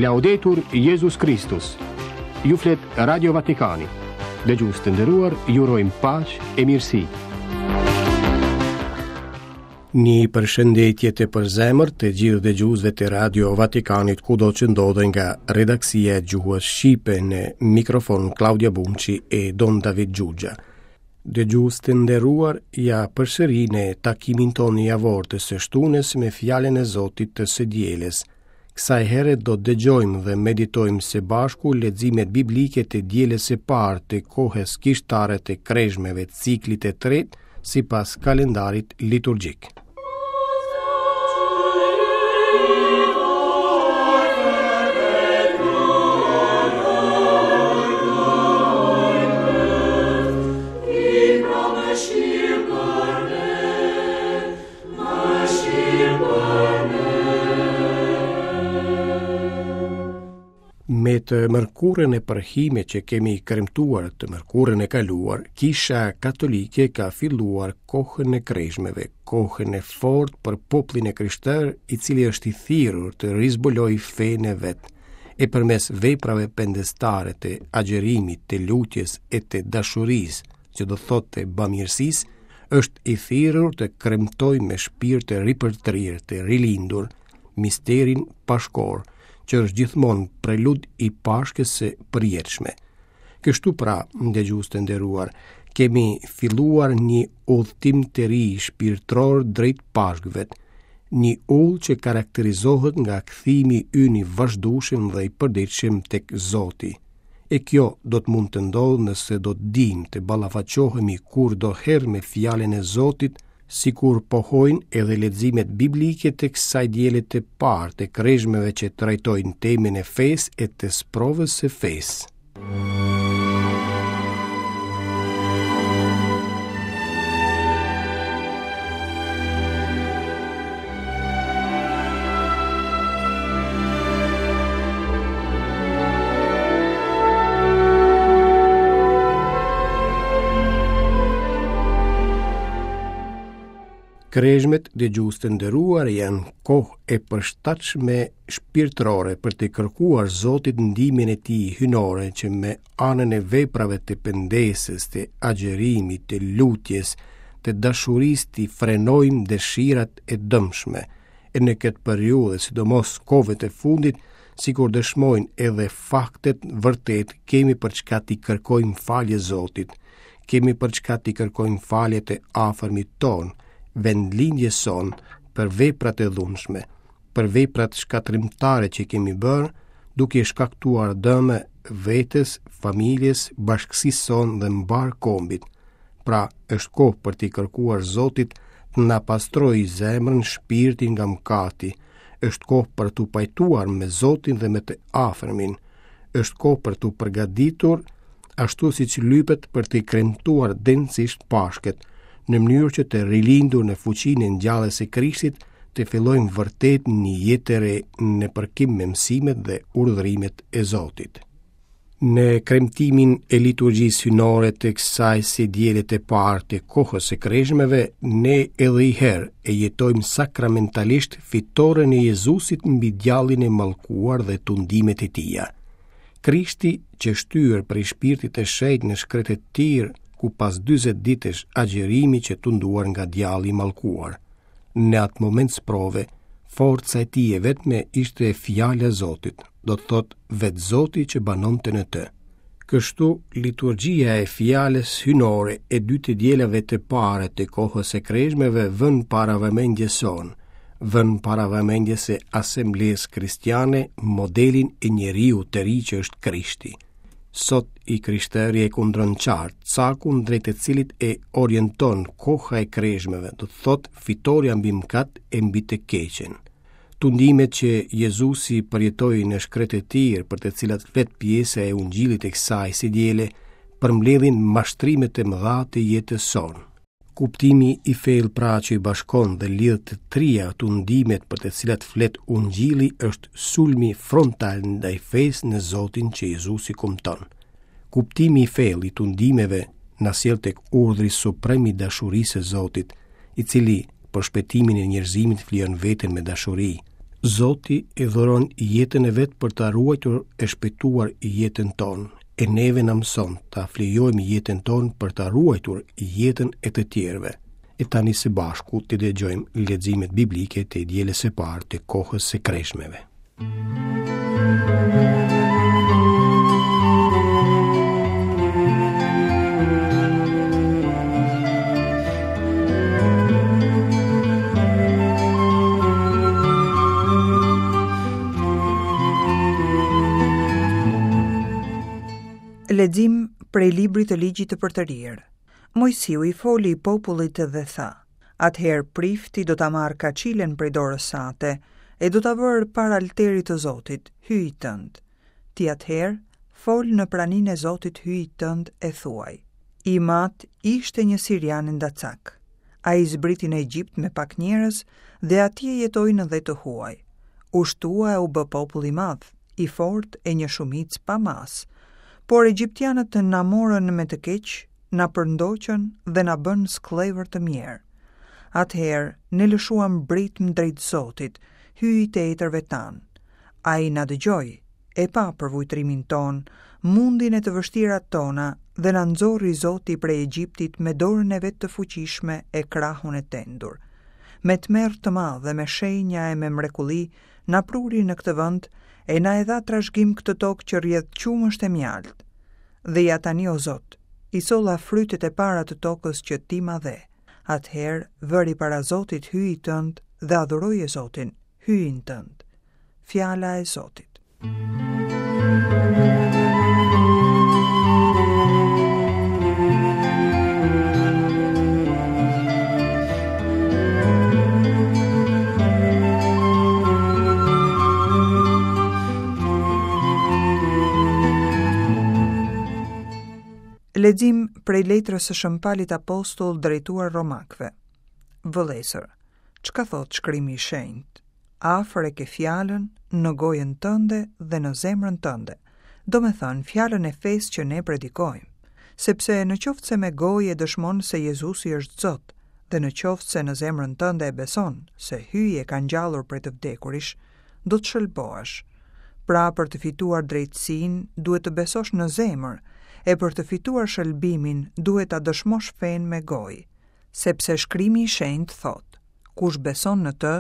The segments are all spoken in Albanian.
Laudetur Jezus Kristus. Ju flet Radio Vatikani. Dëgjues të nderuar, ju urojmë paqe e mirësi. Një përshëndetje të përzemërt të gjithë dëgjuesve të Radio Vatikanit kudo që ndodhen nga redaksia e gjuhës shqipe në mikrofon Klaudia Bumçi e Don David Xhuxha. Dëgjues të nderuar, ja përsëri në takimin tonë javor të së shtunës me fjalën e Zotit të së dielës. Kësaj here do të dëgjojmë dhe meditojmë së bashku leximet biblike të dielës së parë të kohës kishtare të krezhmeve ciklit të tretë sipas kalendarit liturgjik. Me të mërkurën e përhime që kemi kremtuar të mërkurën e kaluar, Kisha Katolike ka filluar kohën e krezhmeve, kohën e fortë për popullin e krishterë, i cili është i thirrur të rizbulojë fenë e vet, e përmes veprave pendestare të agjërimit, të lutjes e të dashurisë, që do thotë të bamirësisë, është i thirrur të kremtojë me shpirt të ripërtrirë, të rilindur, misterin pashkor, që është gjithmonë prelud i Pashkës së përjetshme. Kështu pra, dëgjues të nderuar, kemi filluar një udhëtim të ri shpirtëror drejt Pashkëve, një udhë që karakterizohet nga kthimi ynë i vazhdueshëm dhe i përditshëm tek Zoti. E kjo do të mund të ndodhë nëse do të dimë të ballafaqohemi kurdoherë me fjalën e Zotit, sikur pohojnë edhe leximet biblike të kësaj diele të parë të krezhmeve që trajtojnë temën e fesë e të sprovës së fesë. Krezhmet, dëgjues të nderuar, janë kohë e përshtatshme shpirtërore për t'i kërkuar Zotit ndihmën e tij hyjnore që me anën e veprave të pendesës, të agjërimit, të lutjes, të dashurisë t'i frenojmë dëshirat e dëmshme. E në këtë periudhë, sidomos kohëve të fundit, sikur dëshmojnë edhe faktet, vërtet kemi për çka t'i kërkojmë falje Zotit, kemi për çka t'i kërkojmë falje të afërmit tonë, vendlindjes sonë, për veprat e dhunshme, për veprat shkatërrimtare që kemi bërë, duke i shkaktuar dëme vetes, familjes, bashkësisë sonë dhe mbarë kombit. Pra, është kohë për t'i kërkuar Zotit të na pastrojë zemrën, shpirtin nga mëkati. Është kohë për t'u pajtuar me Zotin dhe me të afërmin. Është kohë për t'u përgatitur ashtu siç lypet për t'i kremtuar denjësisht Pashkët, në mënyrë që të rilindur në fuqinë e ngjalljes së Krishtit, të fillojmë vërtet një jetë të re në përkim me mësimet dhe urdhërimet e Zotit. Në kremtimin e liturgjisë hyjnore të kësaj së diele të parë të kohës së krezhmeve, ne edhe një herë e jetojmë sakramentalisht fitoren e Jezusit mbi djallin e mallkuar dhe tundimet e tija. Krishti qe shtyrë prej shpirtit të shenjtë në shkretëtirë, ku pas 40 ditësh agjërimi qe tunduar nga djalli i mallkuar. Në atë moment sprove, forca e tij e vetme ishte fjala e Zotit, do të thotë vetë Zoti që banonte në të. Kështu, liturgjia e fjalës hyjnore e dy të dielave të para të kohës së krezhmeve vën para vëmendjes sonë, vën para vëmendjes së asamblesë kristiane modelin e njeriut të ri që është Krishti. Sot i krishteri e kundron qartë, cakun drejt të cilit e orienton koha e krezhmeve, do të thotë fitorja mbi mëkat e mbi të keqen. Tundimet që Jezusi përjetoi në shkretëtirë, për të cilat flet pjesa e ungjillit e kësaj së diele, përmbledhin mashtrimet e mëdha të jetës sonë. Kuptimi i thellë pra që i bashkon dhe lidh të tria tundimet për të cilat flet ungjilli është sulmi frontal ndaj fesë në Zotin që Jezusi kumton. Kuptimi i thellë i tundimeve na sjell tek urdhri suprem i dashurisë së Zotit, i cili për shpëtimin e njerëzimit flijon veten me dashuri. Zoti e dhuron jetën e vet për ta ruajtur e shpëtuar jetën tonë, e neve na mëson ta flijojmë jetën tonë për ta ruajtur jetën e të tjerëve. E tani së bashku të dëgjojmë leximet biblike të dielës së parë të kohës së kreshmeve. Lexim prej librit të ligjit të përtërirë. Moisiu i foli popullit dhe tha: Atëherë prifti do ta marrë kaçilen prej dorës sate e do ta vërë para altarit të Zotit, Hyjit tënd. Ti atëherë fol në praninë e Zotit Hyjit tënd e thuaj: Im atë ishte një sirian endacak. Ai zbriti në Egjipt me pak njerëz dhe atje jetoi në dhe të huaj. U shtua e u bë popull i madh, i fortë e një shumicë pa masë. Por egjiptianët na morën me të keq, na përndoqën dhe na bënë skllevër të mjerë. Atëherë ne lëshuam britmë drejt Zotit, Hyjit të etërve tanë. Ai na dëgjoi, e pa përvujtrimin tonë, mundin e të vështirat tona dhe na nxori Zoti prej Egjiptit me dorën e vet të fuqishme e krahun e tendur. Me tmerr të madh dhe me shenja e me mrekulli na pruri në këtë vend e na e dha trashëgim këtë tokë që rrjedh qumësht e mjaltë. Dhe ja tani o Zot, i solla frytet e para të tokës që ti ma dhe. Atëherë vëri para Zotit Hyjit tënd dhe adhuroje Zotin, Hyjin tënd. Fjala e Zotit. Lexim prej letrës së Shën Palit Apostull drejtuar Romakëve. Vëllezër, çka thotë shkrimi i shenjtë? Afër e ke fjalën në gojën tënde dhe në zemrën tënde, domethënë fjalën e fesë që ne predikojmë. Sepse në qoftë se me gojë e dëshmon se Jezusi është Zot, dhe në qoftë se në zemrën tënde e beson se Hyji e ka ngjallur prej të vdekurish, do të shëlbohesh. Pra për të fituar drejtësinë duhet të besosh në zemër, e për të fituar shëlbimin duhet ta dëshmosh fenë me gojë. Sepse shkrimi i shenjtë thotë, kush beson në të,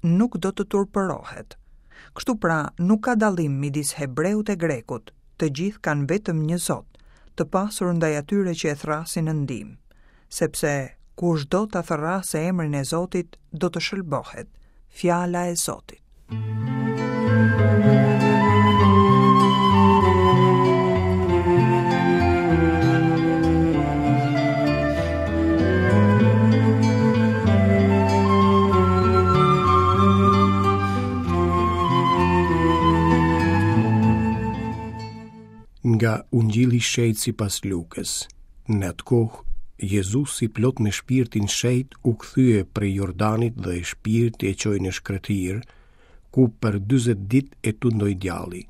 nuk do të turpërohet. Kështu pra, nuk ka dallim midis hebreut e grekut, të gjithë kanë vetëm një Zot, të pasur ndaj atyre që e thërrasin në ndihmë. Sepse kushdo ta thërrasë emrin e Zotit, do të shëlbohet. Fjala e Zotit. Nga Ungjilli i Shenjtë sipas Lukës. Në atë kohë, Jezusi plot me shpirtin shenjt u kthye prej Jordanit dhe shpirti e çoi në shkretëtirë, ku për 40 ditë e tundoi djalli.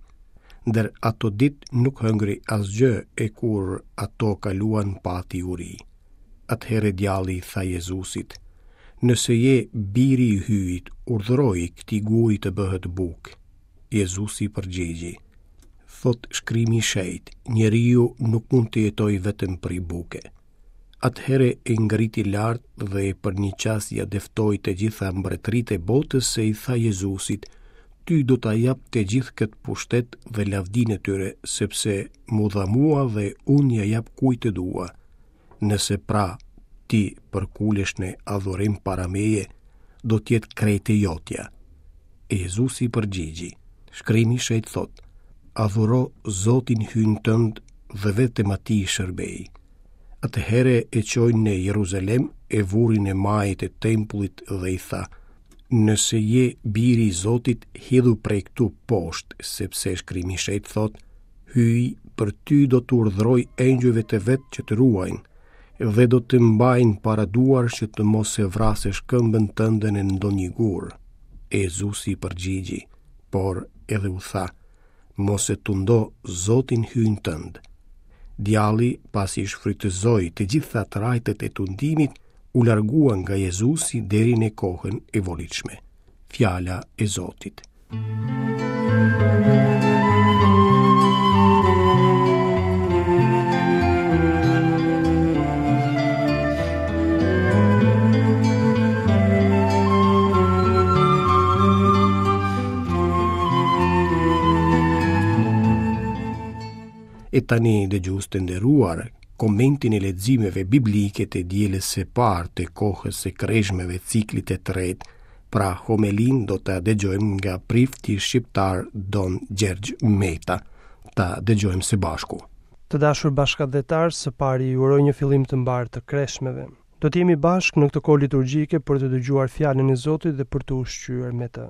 Ndër ato ditë nuk hëngri asgjë e kur ato kaluan pati uri. Atëherë djalli i tha Jezusit, Nëse je biri i Hyjit, urdhëroji këtij guri të bëhet bukë. Jezusi i përgjigji, Thotë shkrimi i shenjtë, njeriu nuk mund të jetojë vetëm prej buke. Atëherë e ngriti lart dhe për një çast ia dëftoi të gjitha mbretëritë e botës e i tha Jezusit, ty do ta jap të gjithë këtë pushtet dhe lavdinë e tyre, sepse m'u dha mua dhe unë ia jap kujt të dua. Nëse pra ti përkulesh në adhurim para meje, do të jetë krejt e jotja. E Jezusi i përgjigji, shkrimi i shenjtë thotë, adhuro Zotin Hyjin tënd dhe vetëm atij shërbeji. Atëherë e çoi në Jeruzalem e vuri në majë të tempullit dhe i tha, nëse je biri i Zotit, hidhu prej këtu poshtë, sepse shkrimi i shenjtë thotë, Hyji për ty do të urdhërojë engjëjve të vet që të ruajnë, dhe do të mbajnë para duarsh që të mos e vrasësh këmbën tënde në ndonjë gur. E Jezusi i përgjigji, por edhe u tha, mos e tundo Zotin Hyjin tënd. Djalli, pasi shfrytëzoi të gjitha trajtat e tundimit, u largua nga Jezusi deri në kohën e volitshme. Fjala e Zotit. E tani dëgjues të nderuar, komentin e leximeve biblike të dielës së parë të kohës së kreshmeve ciklit të tretë, pra homelinë do ta dëgjojmë nga prifti shqiptar Don Gjergj Meta. Ta dëgjojmë së bashku. Të dashur bashkatdhetarë, së pari ju uroj një fillim të mbarë të kreshmeve. Do të jemi bashkë në këtë kohë liturgjike për të dëgjuar fjalën e Zotit dhe për t'u ushqyer me të.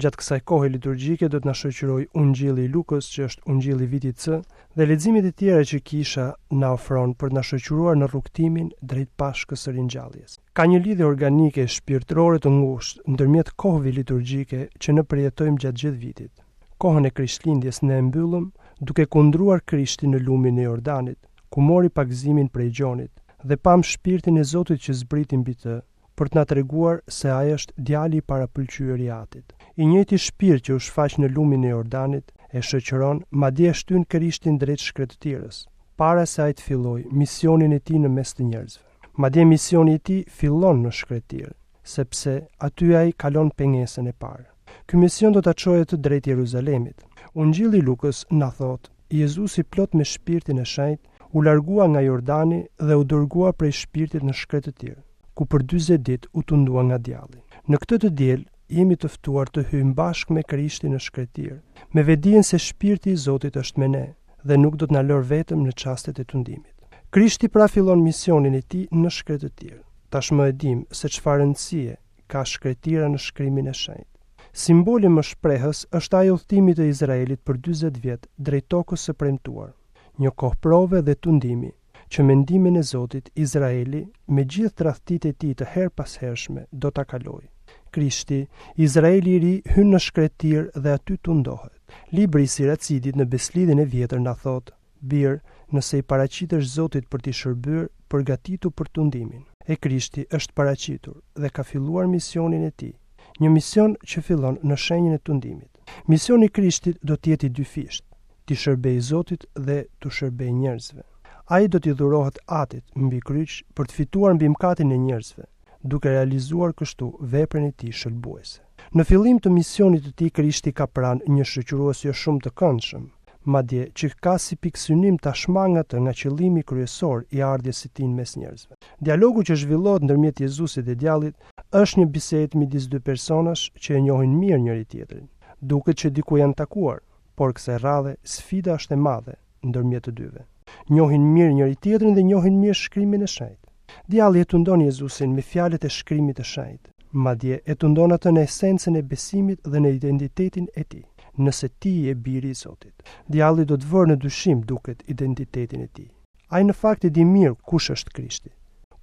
Gjatë kësaj kohe liturgjike do të na shoqërojë Ungjilli i Lukës, që është Ungjilli i vitit C, dhe leximet e tjera që Kisha na ofron për të na shoqëruar në rrugëtimin drejt Pashkës së Ringjalljes. Ka një lidhje organike e shpirtërore të ngushtë ndërmjet kohëve liturgjike që ne përjetojmë gjatë gjithë vitit. Kohën e Krishtlindjes ne e mbyllëm duke kundruar Krishtin në lumin e Jordanit, ku mori pagëzimin prej Gjonit, dhe pamë Shpirtin e Zotit që zbriti mbi të, për të na treguar se ai është djali i parapëlqyer i Atit. I njëjti shpirt që u shfaq në lumin e Jordanit, e shoqëron, madje e shtyn Krishtin drejt shkretëtirës, para se ai të fillojë misionin e tij në mes të njerëzve. Madje misioni i tij fillon në shkretëtirë, sepse aty ai kalon pengesën e parë. Ky mision do ta çojë atë drejt Jeruzalemit. Ungjilli i Lukës na thotë, Jezusi plot me Shpirtin e Shenjtë u largua nga Jordani dhe u dërgua prej Shpirtit në shkretëtirë, ku për 40 ditë u tundua nga djalli. Në këtë të diel jemi të ftuar të hyjmë bashkë me Krishtin në shkretëtirë, me vetëdijen se Shpirti i Zotit është me ne dhe nuk do të na lërë vetëm në çastet e tundimit. Krishti pra fillon misionin e tij në shkretëtirë. Tashmë e dimë se çfarë rëndësie ka shkretëtira në shkrimin e shenjtë. Simboli më shprehës është ai i udhëtimit të Izraelit për 40 vjet drejt tokës së premtuar, një kohë prove dhe tundimi, që me ndihmën e Zotit Izraeli, me gjithë tradhtitë e tij të herëpashershme, do ta kalojë. Krishti, Izraeli i ri, hyn në shkretëtirë dhe aty tundohet. Libri i Siracidit në Besëlidhjen e Vjetër na thotë, Bir, nëse i paraqitesh Zotit për t'i shërbyer, përgatitu për tundimin. E Krishti është paraqitur dhe ka filluar misionin e tij, një mision që fillon në shenjën e tundimit. Misioni i Krishtit do të jetë i dyfishtë, t'i shërbejë Zotit dhe t'u shërbejë njerëzve. Ai do t'i dhurohet Atit mbi kryq për të fituar mbi mëkatin e njerëzve, duke realizuar kështu veprën e tij shëlbuese. Në fillim të misionit të tij Krishti ka pranë një shoqërues jo shumë të këndshëm, madje që ka si pikësynim ta shmangë atë nga qëllimi kryesor i ardhjes së tij në mes njerëzve. Dialogu që zhvillohet ndërmjet Jezusit dhe djallit është një bisedë midis dy personash që e njohin mirë njëri-tjetrin. Duket që diku janë takuar, por kësaj radhe sfida është e madhe ndërmjet të dyve. Njohin mirë njëri-tjetrin dhe njohin mirë shkrimin e shenjtë. Djalli e tundon Jezusin me fjalët e shkrimit të shenjtë, madje e tundon atë në esencën e besimit dhe në identitetin e tij. Nëse ti je biri i Zotit. Djalli do të vërë në dyshim duket identitetin e tij. Ai në fakt e di mirë kush është Krishti,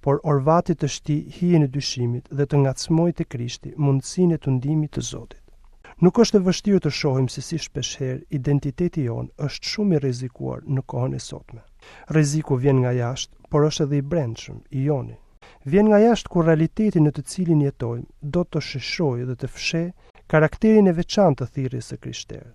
por orvatet të shtijë hijen e dyshimit dhe të ngacmojë te Krishti mundësinë e tundimit të Zotit. Nuk është e vështirë të shohim se si shpeshherë identiteti jonë është shumë i rrezikuar në kohën e sotme. Rreziku vjen nga jashtë, por është edhe i brendshëm, i joni. Vjen nga jashtë kur realiteti në të cilin jetojmë do të sheshojë dhe të fshehë karakterin e veçantë të thirrjes së krishterë.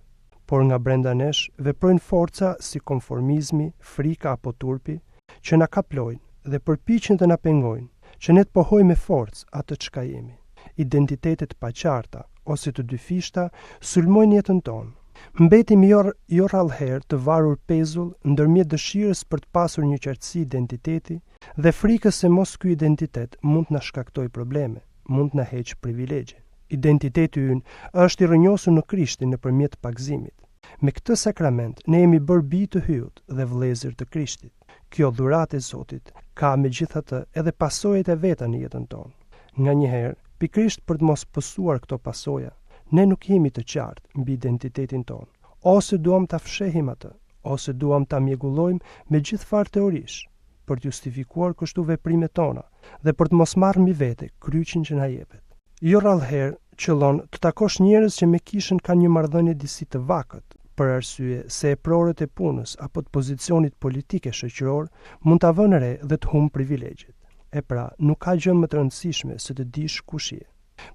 Por nga brenda nesh veprojnë forca si konformizmi, frika apo turpi, që na kaplojnë dhe përpiqen të na pengojnë që ne të pohojmë me forcë atë çka jemi. Identitete të paqarta ose të dyfishta sulmojnë jetën tonë. Mbetemi jo, jo rrallëherë të varur pezull ndërmjet dëshirës për të pasur një qartësi identiteti dhe frikës se mos ky identitet mund të na shkaktojë probleme, mund të na heqë privilegje. Identiteti ynë është i rrënjosur në Krishtin nëpërmjet pagëzimit. Me këtë sakrament ne jemi bërë bij të Hyjut dhe vëllezër të Krishtit. Kjo dhuratë e Zotit ka megjithatë edhe pasojat e veta në jetën tonë. Nganjëherë, pikërisht për të mos pësuar këto pasoja, ne nuk jemi të qartë mbi identitetin tonë, ose duam ta fshehim atë, ose duam ta mjegullojmë me gjithfarë teorish, për të justifikuar kështu veprimet tona dhe për të mos marrë mbi vete kryqin që na jepet. Jo rrallëherë qëllon të takosh njerëz që me kishën kanë një marrëdhënie disi të vakët, për arsye se eprorët e punës apo të pozicionit politik e shoqëror mund ta vënë re dhe të humbë privilegjet. E pra, nuk ka gjë më të rëndësishme se të dish kush je.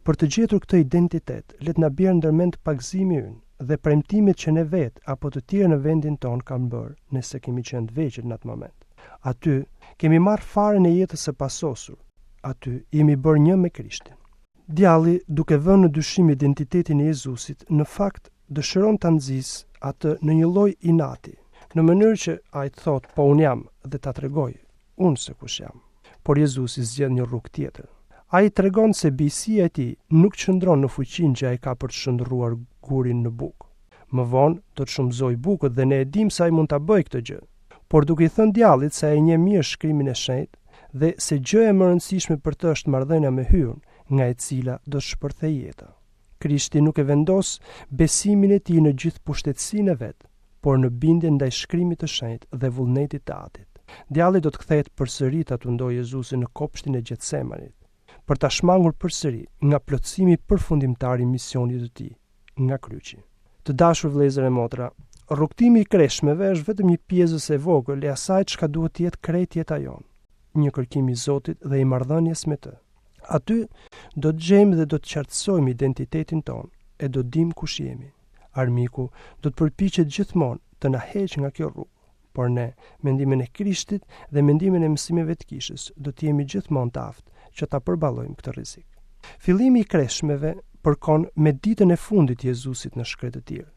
Për të gjetur këtë identitet, le të na bjerë ndërmend pagëzimi ynë dhe premtimet që ne vetë apo të tjerë në vendin tonë kanë bërë nëse kemi qenë të vegjël në atë moment. Aty kemi marrë farën e jetës së pasosur. Aty jemi bërë një me Krishtin. Djalli, duke vënë në dyshim identitetin e Jezusit, në fakt dëshiron ta nxisë atë në një lloj inati, në mënyrë që ai të thotë po unë jam dhe ta tregoj unë se kush jam. Por Jezusi zgjedh një rrugë tjetër. Ai tregon se bijësia e tij nuk qëndron në fuqinë që ai ka për të shndërruar gurin në bukë. Më vonë do të shumëzojë bukët dhe ne e dimë se ai mund ta bëjë këtë gjë. Por duke i thënë djallit se ai e njeh mirë shkrimin e shenjtë dhe se gjëja më e rëndësishme për të është marrëdhënia me Hyun, nga e cila do të shpërthejë jeta. Krishti nuk e vendos besimin e tij në gjithëpushtetësinë e vet, por në bindjen ndaj shkrimit të shenjtë dhe vullnetit të Atit. Djalli do të kthehet përsëri ta tundojë Jezusin në kopshtin e Gjetsemanit, për ta shmangur përsëri nga plotësimi përfundimtar i misionit të tij, nga kryqi. Të dashur vëllezër e motra, rrugëtimi i kreshmeve është vetëm një pjesëz e vogël e asaj çka duhet të jetë krejt jeta jonë, një kërkim i Zotit dhe i marrëdhënies me të. Aty do të gjejmë dhe do të qartësojmë identitetin tonë e do të dimë kush jemi. Armiku do të përpiqet gjithmonë të na heqë nga kjo rrugë, por ne, me ndihmën e Krishtit dhe me ndihmën e mësimeve të kishës, do të jemi gjithmonë të aftë që ta përballojmë këtë rrezik. Fillimi i kreshmeve përkon me ditën e fundit të Jezusit në shkretëtirë.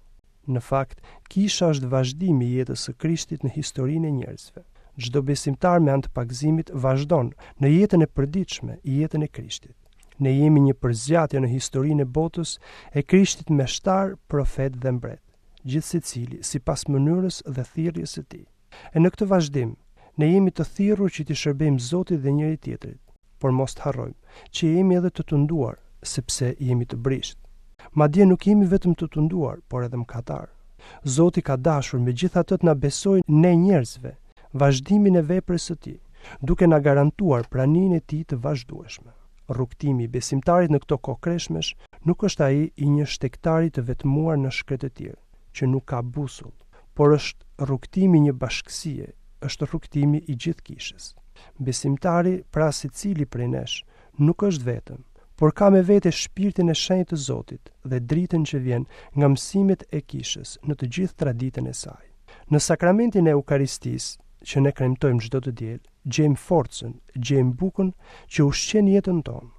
Në fakt, kisha është vazhdimi i jetës së Krishtit në historinë e njerëzve. Çdo besimtar me anë të pagëzimit vazhdon në jetën e përditshme, jetën e Krishtit. Ne jemi një përzgjatje në historinë e botës e Krishtit meshtar, profet dhe mbret, gjithsecili sipas mënyrës dhe thirrjes së tij. E në këtë vazhdim, ne jemi të thirrur që t'i shërbejmë Zotit dhe njëri-tjetrit, por mos të harrojmë që jemi edhe të tunduar, sepse jemi të brishtë. Madje nuk jemi vetëm të tunduar, por edhe mëkatarë. Zoti ka dashur megjithatë të na besojë ne njerëzve vazhdimin e veprës së tij, duke na garantuar praninë e tij të vazhdueshme. Rrugëtimi i besimtarit në këto kohë kreshmesh nuk është ai i një shtegtari të vetmuar në shkretëtirë, që nuk ka busull, por është rrugëtimi i një bashkësie, është rrugëtimi i gjithë kishës. Besimtari, pra secili prej nesh, nuk është vetëm, por ka me vete shpirtin e shenjtë të Zotit dhe dritën që vjen nga mësimet e kishës në të gjithë traditën e saj. Në sakramentin e Eukaristisë, që ne kremtojmë çdo të diel, gjejmë forcën, gjejmë bukën që ushqen jetën tonë.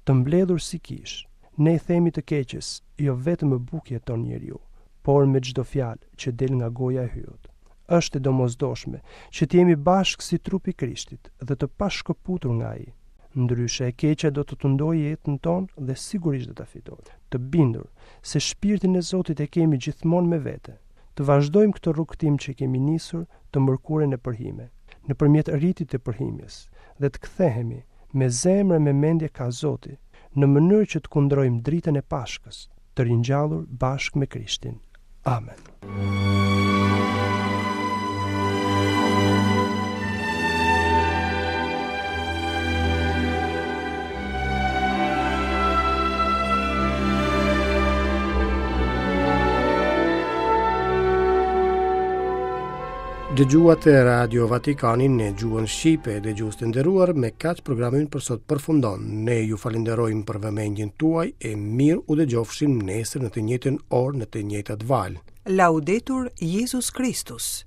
Të mbledhur si kishë, ne i themi të keqes, jo vetëm me bukë jeton njeriu, por me çdo fjalë që del nga goja e Hyjut. Është e domosdoshme që të jemi bashkë si trupi i Krishtit dhe të pashkëputur nga ai. Ndryshe e keqja do të tundojë jetën tonë dhe sigurisht do ta fitojë. Të bindur se shpirtin e Zotit e kemi gjithmonë me vete, të vazhdojmë këtë rrugëtim që kemi nisur të mërkurën e përhime, nëpërmjet ritit të përhimjes, dhe të kthehemi me zemër e me mendje kah Zoti, në mënyrë që të kundrojmë dritën e Pashkës, të ringjallur bashkë me Krishtin. Amen. Dëgjuat Radio Vatikanin në gjuhën shqipe, dëgjues të nderuar, me kaq programi ynë për sot përfundon. Ne ju falënderojmë për vëmendjen tuaj e mirë u dëgjofshim nesër në të njëjtën orë në të njëjtat valë. Laudetur Jezus Kristus.